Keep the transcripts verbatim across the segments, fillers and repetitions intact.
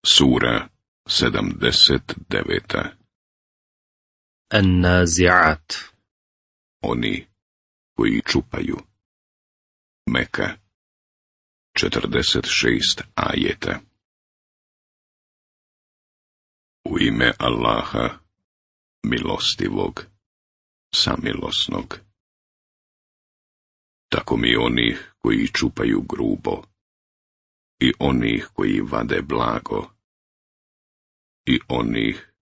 Sura sedamdeset deveta. النازعات. Oni koji čupaju. Meka. četrdeset šest ajeta. U ime Allaha, milostivog, samilosnog. Tako mi onih koji čupaju grubo, i onih koji vade blago, i onih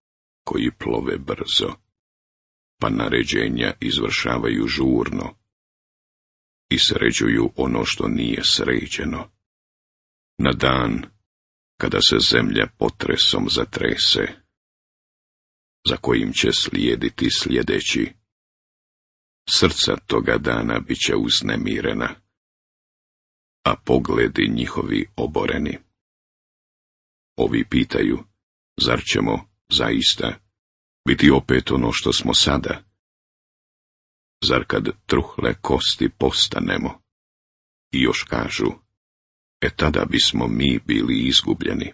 koji plove brzo, pa naređenja izvršavaju žurno i sređuju ono što nije sređeno. Na dan kada se zemlja potresom zatrese, za kojim će slijediti sljedeći, srca toga dana bit će uznemirena, a pogledi njihovi oboreni. Ovi pitaju, zar ćemo, zaista, biti opet ono što smo sada? Zar kad truhle kosti postanemo? I još kažu, e tada bismo mi bili izgubljeni.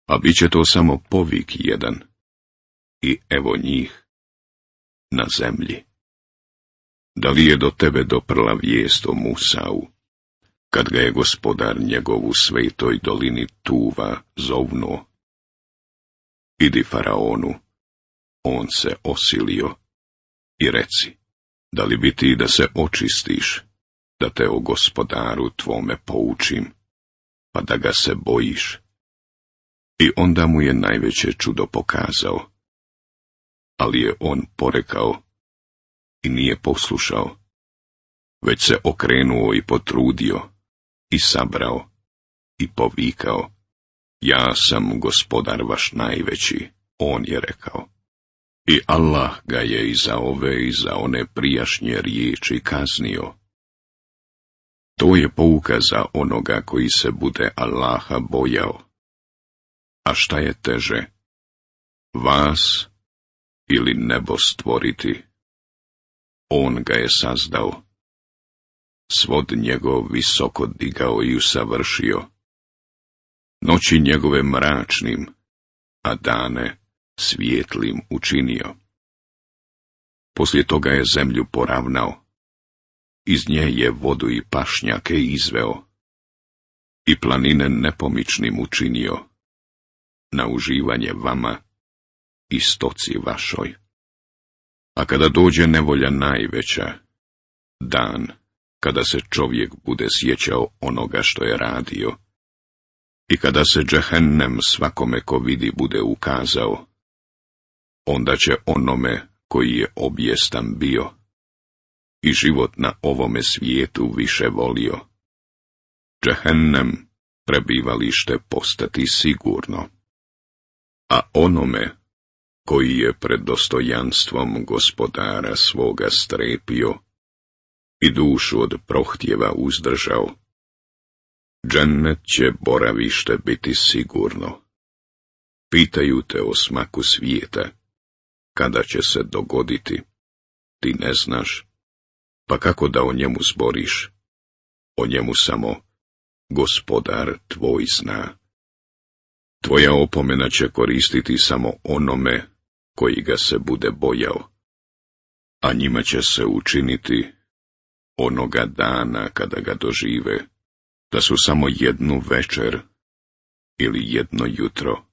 A bit će to samo povik jedan, i evo njih, na zemlji. Da li je do tebe doprla vijest o Musau, kad ga je gospodar njegov u svetoj dolini Tuva zovnuo? Idi faraonu, on se osilio, i reci, da li bi ti da se očistiš, da te o gospodaru tvome poučim, pa da ga se bojiš? I onda mu je najveće čudo pokazao, ali je on porekao i nije poslušao, već se okrenuo i potrudio, i sabrao, i povikao, ja sam gospodar vaš najveći, on je rekao. I Allah ga je i za ove i za one prijašnje riječi kaznio. To je pouka za onoga koji se bude Allaha bojao. A šta je teže, vas ili nebo stvoriti? On ga je sazdao, svod njegov visoko digao i usavršio, noći njegove mračnim, a dane svijetlim učinio. Poslije toga je zemlju poravnao, iz nje je vodu i pašnjake izveo, i planine nepomičnim učinio, na uživanje vama i stoci vašoj. A kada dođe nevolja najveća, dan kada se čovjek bude sjećao onoga što je radio, i kada se džehennem svakome ko vidi bude ukazao, onda će onome koji je objestan bio i život na ovome svijetu više volio, džehennem prebivalište postati sigurno. A onome koji je pred dostojanstvom gospodara svoga strepio i dušu od prohtjeva uzdržao, džennet će boravište biti sigurno. Pitaju te o smaku svijeta, kada će se dogoditi, ti ne znaš, pa kako da o njemu zboriš? O njemu samo gospodar tvoj zna. Tvoja opomena će koristiti samo onome koji ga se bude bojao, a njima će se učiniti onoga dana kada ga dožive, da su samo jednu večer ili jedno jutro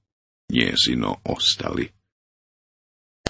njezino ostali.